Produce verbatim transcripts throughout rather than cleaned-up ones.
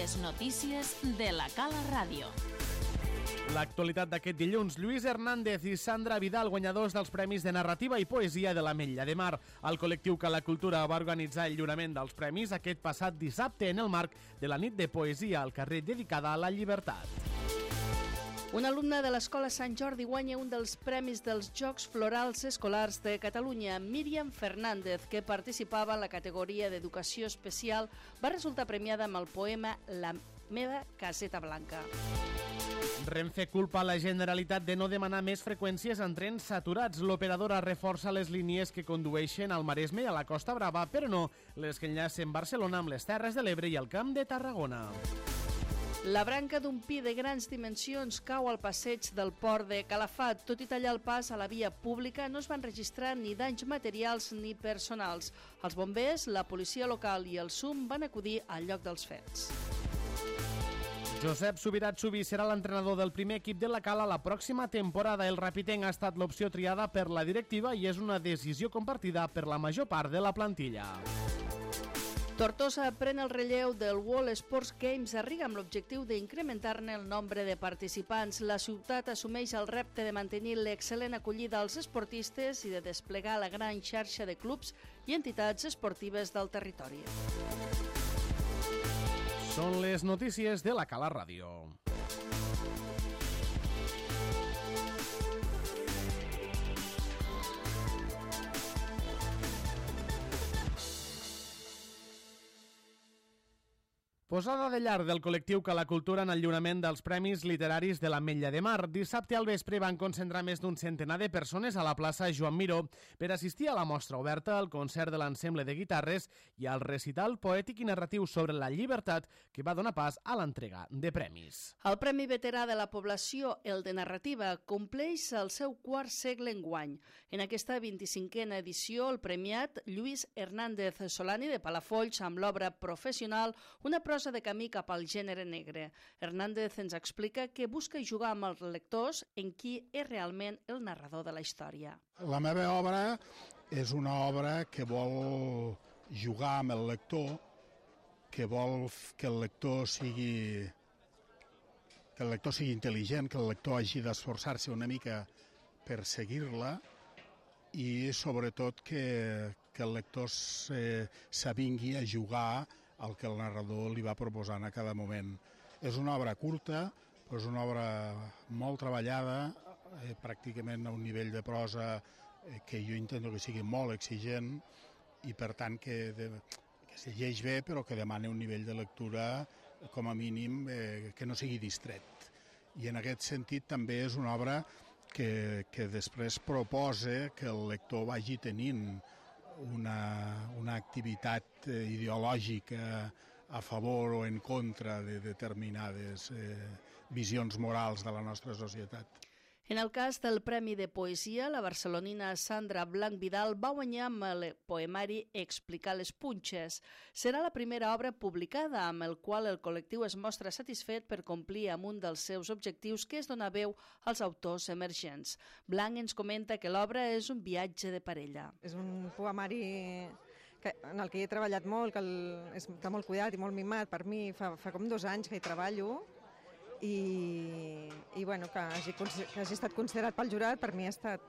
Les notícies de la Cala Ràdio. L'actualitat d'aquest dilluns, Lluís Hernández i Sandra Vidal, guanyadors dels Premis de Narrativa i Poesia de l'Ametlla de Mar. El col·lectiu Cala Cultura va organitzar el lliurament dels premis aquest passat dissabte en el marc de la nit de poesia al carrer dedicada a la llibertat. Un alumne de l'Escola Sant Jordi guanya un dels premis dels Jocs Florals Escolars de Catalunya. Míriam Fernández, que participava en la categoria d'Educació Especial, va resultar premiada amb el poema La meva caseta blanca. Renfe culpa la Generalitat de no demanar més freqüències en trens saturats. L'operadora reforça les línies que condueixen al Maresme i a la Costa Brava, però no les que enllacen Barcelona amb les Terres de l'Ebre i el Camp de Tarragona. La branca d'un pi de grans dimensions cau al passeig del port de Calafat. Tot i tallar el pas a la via pública, no es van registrar ni danys materials ni personals. Els bombers, la policia local i el S U M van acudir al lloc dels fets. Josep Subirat Subí serà l'entrenador del primer equip de la Cala la pròxima temporada. El rapitenc ha estat l'opció triada per la directiva i és una decisió compartida per la major part de la plantilla. Tortosa pren el relleu del World Sports Games a Riga amb l'objectiu d'incrementar-ne el nombre de participants. La ciutat assumeix el repte de mantenir l'excel·lent acollida als esportistes i de desplegar la gran xarxa de clubs i entitats esportives del territori. Són les notícies de la Cala Ràdio. Posada de llar del col·lectiu Cala Cultura en el lliurament dels Premis Literaris de l'Ametlla de Mar. Dissabte al vespre van concentrar més d'un centenar de persones a la plaça Joan Miró per assistir a la mostra oberta, al concert de l'ensemble de guitarres i al recital poètic i narratiu sobre la llibertat que va donar pas a l'entrega de premis. El Premi Veterà de la Població, el de Narrativa, compleix el seu quart segle enguany. En aquesta vint-i-cinquena edició, el premiat Lluís Hernández Solani de Palafolls amb l'obra professional Una prosa de camí cap al gènere negre. Hernández ens explica que busca jugar amb els lectors en qui és realment el narrador de la història. La meva obra és una obra que vol jugar amb el lector, que vol que el lector sigui que el lector sigui intel·ligent, que el lector hagi d'esforçar-se una mica per seguir-la i sobretot que, que el lector s'avingui a jugar el que el narrador li va proposant a cada moment. És una obra curta, però és una obra molt treballada, eh, pràcticament a un nivell de prosa eh, que jo intento que sigui molt exigent i per tant que, de, que se llegeix bé però que demana un nivell de lectura com a mínim eh, que no sigui distret. I en aquest sentit també és una obra que, que després proposa que el lector vagi tenint Una, una activitat eh, ideològica a favor o en contra de determinades eh, visions morals de la nostra societat. En el cas del Premi de Poesia, la barcelonina Sandra Blanc Vidal va guanyar amb el poemari Explicar les punxes. Serà la primera obra publicada amb el qual el col·lectiu es mostra satisfet per complir amb un dels seus objectius, que és donar veu als autors emergents. Blanc ens comenta que l'obra és un viatge de parella. És un poemari que, en el que he treballat molt, que el, està molt cuidat i molt mimat. Per mi fa, fa com dos anys que hi treballo, i, i bueno, que, hagi, que hagi estat considerat pel jurat per mi ha estat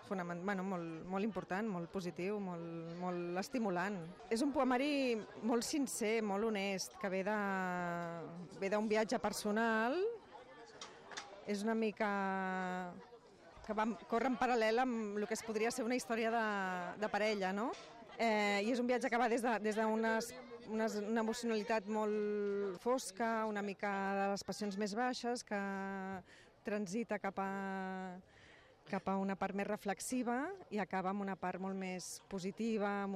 fonament, bueno, molt, molt important, molt positiu, molt, molt estimulant. És un poemari molt sincer, molt honest, que ve de, ve d'un viatge personal, és una mica que va, corre en paral·lel amb el que es podria ser una història de, de parella, no? Eh, I és un viatge que va des de, des d'unes una, una emocionalitat molt fosca, una mica de les passions més baixes, que transita cap a, cap a una part més reflexiva i acaba amb una part molt més positiva,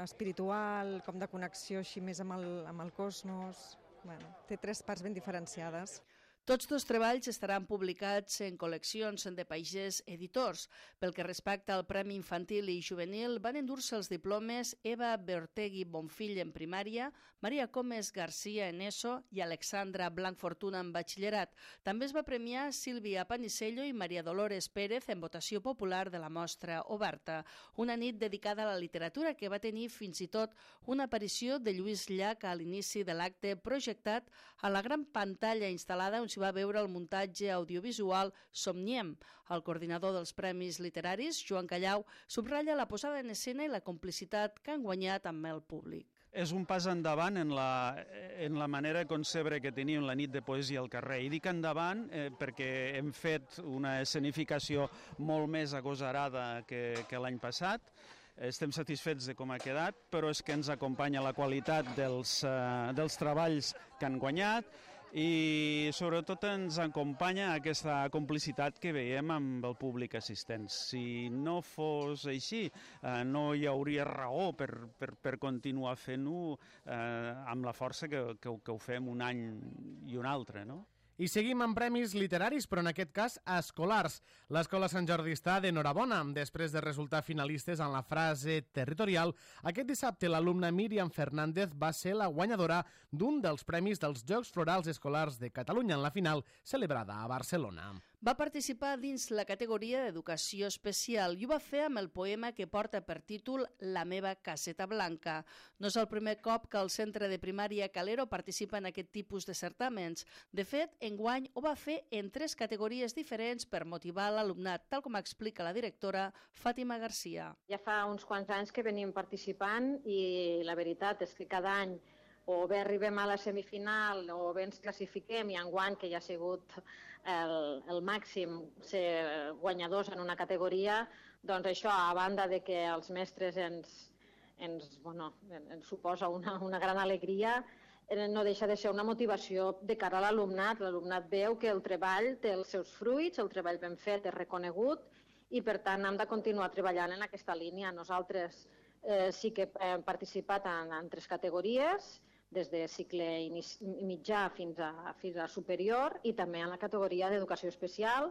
espiritual, com de connexió així més amb el, amb el cosmos. Bueno, té tres parts ben diferenciades. Tots dos treballs estaran publicats en col·leccions de Pagès Editors. Pel que respecta al Premi Infantil i Juvenil, van endur-se els diplomes Eva Beortegui Bonfill en primària, Maria Comes Garcia en ESO i Alexandra Blanc Fortuna en batxillerat. També es va premiar Sílvia Panicello i Maria Dolores Pérez en votació popular de la mostra oberta. Una nit dedicada a la literatura que va tenir fins i tot una aparició de Lluís Llach a l'inici de l'acte projectat a la gran pantalla instal·lada on s'hi va veure el muntatge audiovisual Somniem. El coordinador dels Premis Literaris, Joan Callau, subratlla la posada en escena i la complicitat que han guanyat amb el públic. És un pas endavant en la, en la manera de concebre que teníem la nit de poesia al carrer. I dic endavant eh, perquè hem fet una escenificació molt més agosarada que, que l'any passat. Estem satisfets de com ha quedat, però és que ens acompanya la qualitat dels, eh, dels treballs que han guanyat i sobretot ens acompanya aquesta complicitat que veiem amb el públic assistent. Si no fos així, eh, no hi hauria raó per, per, per continuar fent-ho eh, amb la força que, que, que ho fem un any i un altre, no? I seguim amb premis literaris, però en aquest cas escolars. L'Escola Sant Jordi està d'enhorabona. Després de resultar finalistes en la frase territorial, aquest dissabte l'alumna Míriam Fernández va ser la guanyadora d'un dels premis dels Jocs Florals Escolars de Catalunya en la final celebrada a Barcelona. Va participar dins la categoria d'Educació Especial i ho va fer amb el poema que porta per títol La meva caseta blanca. No és el primer cop que el centre de primària Calero participa en aquest tipus de certàmens. De fet, enguany ho va fer en tres categories diferents per motivar l'alumnat, tal com explica la directora Fàtima Garcia. Ja fa uns quants anys que venim participant i la veritat és que cada any o bé arribem a la semifinal o bé ens classifiquem i enguany, que ja ha sigut el, el màxim ser guanyadors en una categoria, doncs això, a banda de que els mestres ens, ens, bueno, ens suposa una, una gran alegria, no deixa de ser una motivació de cara a l'alumnat. L'alumnat veu que el treball té els seus fruits, el treball ben fet és reconegut i per tant hem de continuar treballant en aquesta línia. Nosaltres eh, sí que hem participat en, en tres categories, des de cicle mitjà fins a, fins a superior i també en la categoria d'educació especial,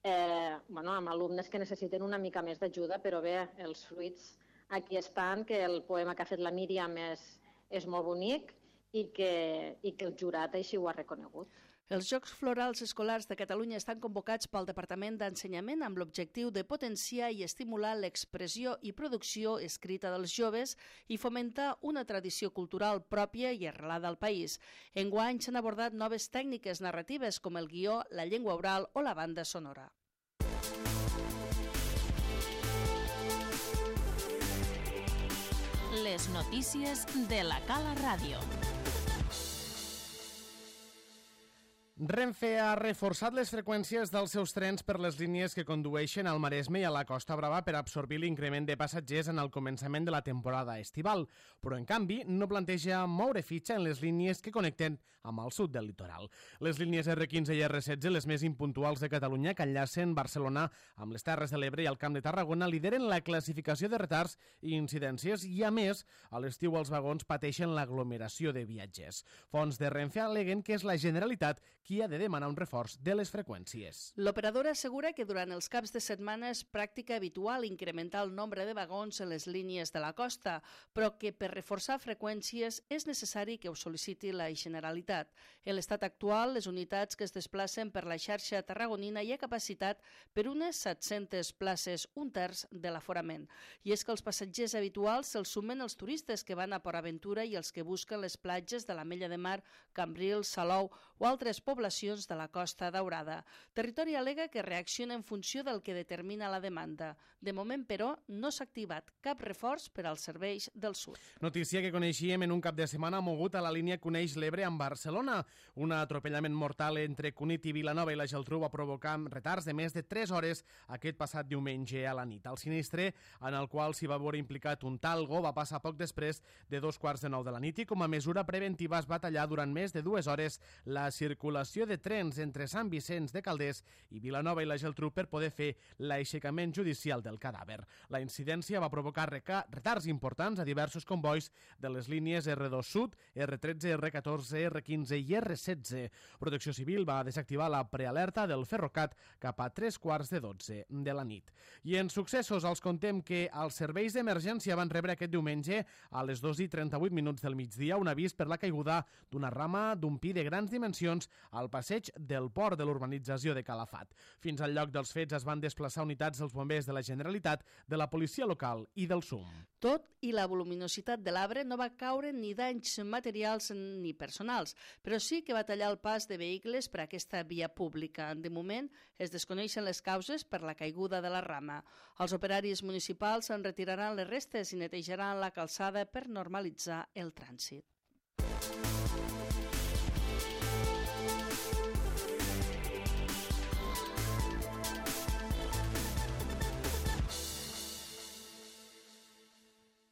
eh, bueno, amb alumnes que necessiten una mica més d'ajuda, però bé, els fruits aquí estan, que el poema que ha fet la Míriam és, és molt bonic i que, i que el jurat així ho ha reconegut. Els Jocs Florals Escolars de Catalunya estan convocats pel Departament d'Ensenyament amb l'objectiu de potenciar i estimular l'expressió i producció escrita dels joves i fomentar una tradició cultural pròpia i arrelada al país. Enguany s'han abordat noves tècniques narratives com el guió, la llengua oral o la banda sonora. Les notícies de la Cala Ràdio. Renfe ha reforçat les freqüències dels seus trens per les línies que condueixen al Maresme i a la Costa Brava per absorbir l'increment de passatgers en el començament de la temporada estival, però en canvi no planteja moure fitxa en les línies que connecten amb el sud del litoral. Les línies erre quinze i erre setze, les més impuntuals de Catalunya, que enllacen Barcelona amb les Terres de l'Ebre i el Camp de Tarragona, lideren la classificació de retards i incidències i, a més, a l'estiu els vagons pateixen l'aglomeració de viatgers. Fonts de Renfe aleguen que és la Generalitat qui ha de demanar un reforç de les freqüències. L'operadora assegura que durant els caps de setmana és pràctica habitual incrementar el nombre de vagons en les línies de la costa, però que per reforçar freqüències és necessari que ho sol·liciti la Generalitat. En l'estat actual, les unitats que es desplacen per la xarxa tarragonina hi ha capacitat per unes set-centes places, un terç de l'aforament. I és que els passatgers habituals se'ls sumen els turistes que van a Port Aventura i els que busquen les platges de l'Ametlla de Mar, Cambrils, Salou o altres poblacions de la Costa Daurada. Territori alega que reacciona en funció del que determina la demanda. De moment, però, no s'ha activat cap reforç per als serveis del sud. Notícia que coneixíem en un cap de setmana mogut a la línia Coneix l'Ebre amb Barcelona. Un atropellament mortal entre Cunit i Vilanova i la Geltrú va provocar retards de més de tres hores aquest passat diumenge a la nit. El sinistre, en el qual s'hi va veure implicat un talgo, va passar poc després de dos quarts de nou de la nit i com a mesura preventiva es va tallar durant més de dues hores la circulació estació de trens entre Sant Vicenç de Calders i Vilanova i la Geltrú per poder fer l'aixecament judicial del cadàver. La incidència va provocar retards importants a diversos convois de les línies erre dos Sud, erre tretze, erre catorze, erre quinze i erre setze. Protecció Civil va desactivar la prealerta del Ferrocat cap a tres quarts de dotze de la nit. I en successos els contem que els serveis d'emergència van rebre aquest diumenge a les dos i trenta-vuit minuts del migdia un avís per la caiguda d'una rama d'un pi de grans dimensions al passeig del port de l'urbanització de Calafat. Fins al lloc dels fets es van desplaçar unitats dels bombers de la Generalitat, de la policia local i del S U M. Tot i la voluminositat de l'arbre no va caure ni danys materials ni personals, però sí que va tallar el pas de vehicles per a aquesta via pública. De moment es desconeixen les causes per la caiguda de la rama. Els operaris municipals en retiraran les restes i netejaran la calçada per normalitzar el trànsit.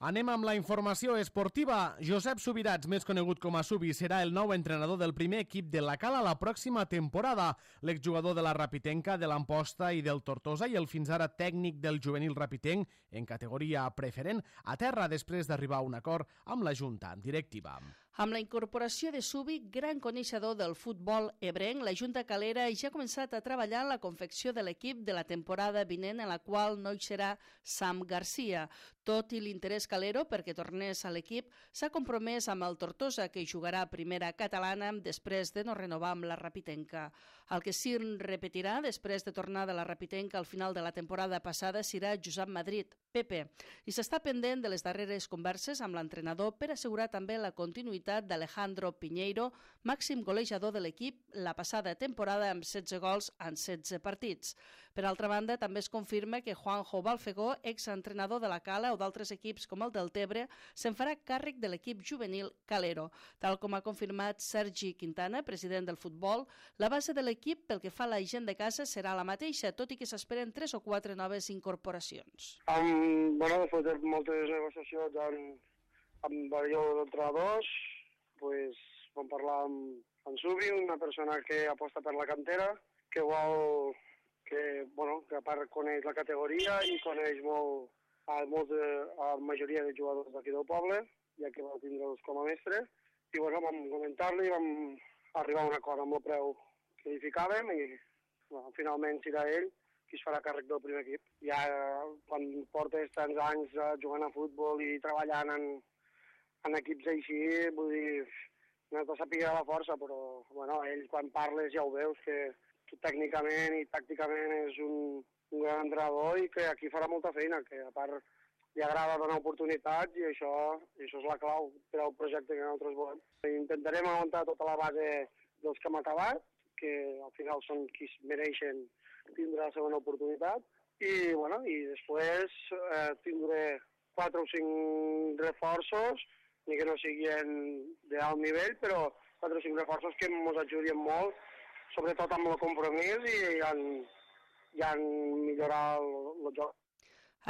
Anem amb la informació esportiva. Josep Subirats, més conegut com a Subi, serà el nou entrenador del primer equip de la Cala la pròxima temporada. L'exjugador de la Rapitenca, de l'Amposta i del Tortosa i el fins ara tècnic del juvenil rapitenc en categoria preferent, aterra després d'arribar a un acord amb la Junta directiva. Amb la incorporació de Subi, gran coneixedor del futbol ebrenc, la Junta Calera ja ha començat a treballar en la confecció de l'equip de la temporada vinent, en la qual no hi serà Sam Garcia. Tot i l'interès calero perquè tornés a l'equip, s'ha compromès amb el Tortosa, que jugarà a primera catalana després de no renovar amb la Rapitenca. El que sí repetirà després de tornar de la Rapitenca al final de la temporada passada serà Josep Madrid, Pepe, i s'està pendent de les darreres converses amb l'entrenador per assegurar també la continuïtat d'Alejandro Piñeiro, màxim golejador de l'equip la passada temporada amb setze gols en setze partits. Per altra banda, també es confirma que Juanjo Balfegó, exentrenador de la Cala o d'altres equips com el del Tebre, se'n farà càrrec de l'equip juvenil calero. Tal com ha confirmat Sergi Quintana, president del futbol, la base de l'equip pel que fa a la gent de casa serà la mateixa, tot i que s'esperen tres o quatre noves incorporacions. Um, bueno, després de moltes negociacions amb, amb diversos entrenadors, pues, vam parlar amb, amb Subi, una persona que aposta per la cantera, que vol que, bueno, que a part coneix la categoria i coneix molt a, molt de, a la majoria de jugadors d'aquí del poble, ja que va tindre'ls com a mestre. I bueno, vam comentar-li i vam arribar a un acord amb el preu que hi ficàvem i bueno, finalment serà ell qui es farà càrrec del primer equip. Ja quan portes tants anys jugant a futbol i treballant en, en equips així, vull dir, no t'ho sàpiga la força, però bueno, ell quan parles ja ho veus que tècnicament i tàcticament és un, un gran entrenador i que aquí farà molta feina, que a part li agrada donar oportunitats i això, i això és la clau per al projecte que nosaltres volem. Intentarem aguantar tota la base dels que hem acabat, que al final són qui mereixen tindre la segona oportunitat, i, bueno, i després eh, tindré quatre o cinc reforços, ni que no siguin d'alt nivell, però quatre o cinc reforços que ens ajudin molt, sobretot amb el compromís i en, i en millorar el, el joc.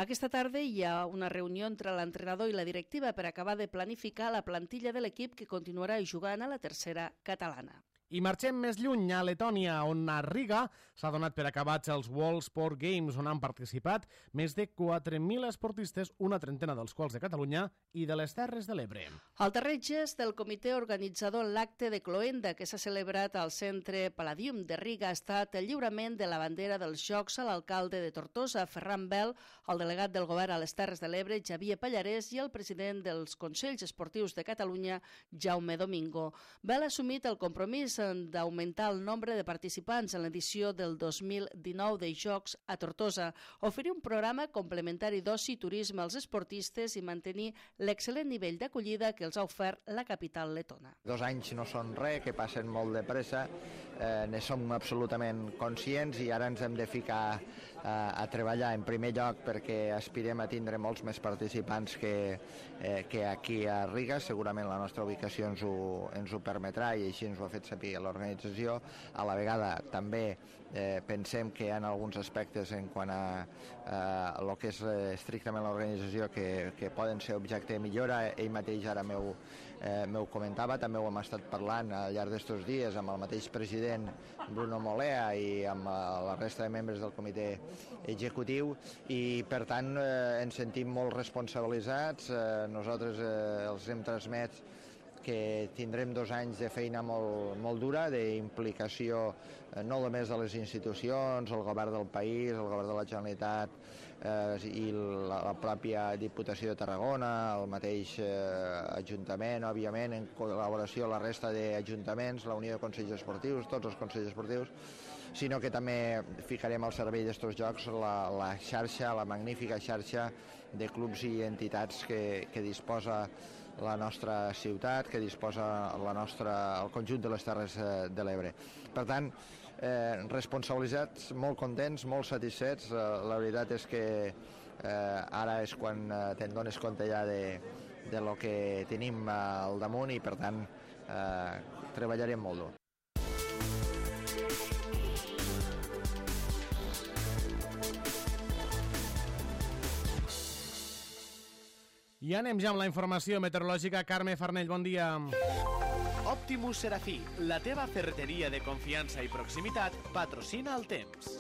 Aquesta tarda hi ha una reunió entre l'entrenador i la directiva per acabar de planificar la plantilla de l'equip que continuarà jugant a la tercera catalana. I marxem més lluny, a Letònia, on a Riga s'ha donat per acabats els World Sport Games, on han participat més de quatre mil esportistes, una trentena dels quals de Catalunya i de les Terres de l'Ebre. El darrer gest del comitè organitzador en l'acte de Cloenda, que s'ha celebrat al Centre Palladium de Riga, ha estat el lliurament de la bandera dels Jocs a l'alcalde de Tortosa, Ferran Bel, el delegat del govern a les Terres de l'Ebre, Xavier Pallarès, i el president dels Consells Esportius de Catalunya, Jaume Domingo. Bel ha assumit el compromís d'augmentar el nombre de participants en l'edició del dos mil dinou de Jocs a Tortosa, oferir un programa complementari d'oci i turisme als esportistes i mantenir l'excel·lent nivell d'acollida que els ha ofert la capital letona. Dos anys no són res, que passen molt de pressa, eh, ne som absolutament conscients i ara ens hem de ficar a, a treballar en primer lloc perquè aspirem a tindre molts més participants que, eh, que aquí a Riga. Segurament la nostra ubicació ens ho, ens ho permetrà i així ens ho ha fet saber l'organització. A la vegada també eh, pensem que hi ha alguns aspectes en quant a eh, el que és eh, estrictament l'organització que, que poden ser objecte de millora. Ell mateix ara m'ho eh, m'ho comentava, també ho hem estat parlant al llarg d'estos dies amb el mateix president Bruno Molea i amb eh, la resta de membres del comitè executiu, i per tant eh, ens sentim molt responsabilitzats. Eh, nosaltres eh, els hem transmès que tindrem dos anys de feina molt, molt dura, d'implicació eh, no només de les institucions, el govern del país, el govern de la Generalitat eh, i la, la pròpia Diputació de Tarragona, el mateix eh, Ajuntament, òbviament, en col·laboració amb la resta d'ajuntaments, la Unió de Consells Esportius, tots els Consells Esportius, sinó que també ficarem al servei d'estos jocs la, la xarxa, la magnífica xarxa de clubs i entitats que, que disposa la nostra ciutat, que disposa la nostra, el conjunt de les Terres de l'Ebre. Per tant, eh, responsabilitzats, molt contents, molt satisfets. Eh, la veritat és que eh, ara és quan eh, te'n dones compte ja de, de lo que tenim al damunt i, per tant, eh, treballarem molt dur. I anem ja amb la informació meteorològica. Carme Farnell, bon dia. Optimus Serafí, la teva ferreteria de confiança i proximitat, patrocina el temps.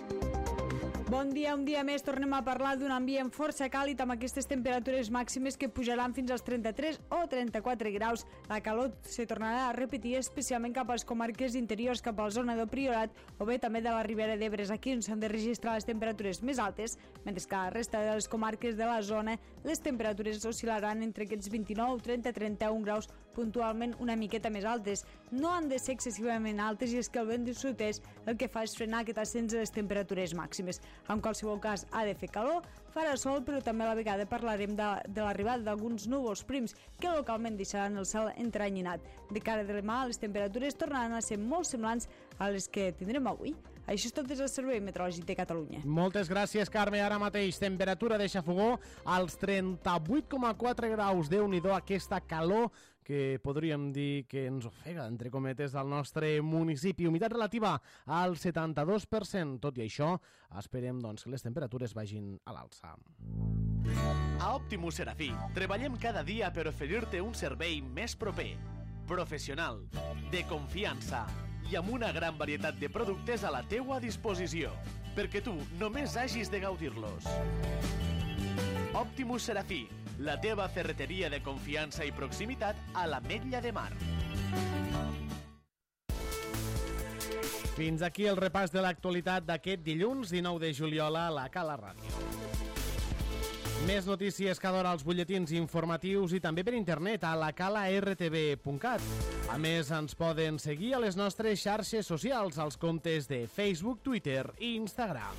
Bon dia, un dia més tornem a parlar d'un ambient força càlid amb aquestes temperatures màximes que pujaran fins als trenta-tres o trenta-quatre graus. La calor se tornarà a repetir especialment cap a les comarques interiors, cap a la zona del Priorat o bé també de la Ribera d'Ebre, aquí on s'han de registrar les temperatures més altes, mentre que a la resta de les comarques de la zona les temperatures oscil·laran entre aquests vint-i-nou, trenta, trenta-un graus, puntualment una miqueta més altes. No han de ser excessivament altes i és que el vent de sud-est el que fa és frenar aquest ascens de les temperatures màximes. En qualsevol cas, ha de fer calor, farà sol, però també a la vegada parlarem de, de l'arribada d'alguns núvols prims que localment deixaran el cel entrenyinat. De cara de demà, les temperatures tornaran a ser molt semblants a les que tindrem avui. Això és tot des del Servei Meteorològic de Catalunya. Moltes gràcies, Carme. Ara mateix, temperatura de xafogó als trenta-vuit coma quatre graus. Déu-n'hi-do aquesta calor que podríem dir que ens ofega, entre cometes, del nostre municipi. Humitat relativa al setanta-dos per cent. Tot i això, esperem doncs, que les temperatures vagin a l'alça. A Optimus Serafí treballem cada dia per oferir-te un servei més proper, professional, de confiança i amb una gran varietat de productes a la teua disposició, perquè tu només hagis de gaudir-los. Optimus Serafí, la teva ferreteria de confiança i proximitat a l'Ametlla de Mar. Fins aquí el repàs de l'actualitat d'aquest dilluns dinou de juliol a la Cala Ràdio. Més notícies cada hora als butlletins informatius i també per internet a la cala r t v punt cat. A més, ens poden seguir a les nostres xarxes socials, als comptes de Facebook, Twitter i Instagram.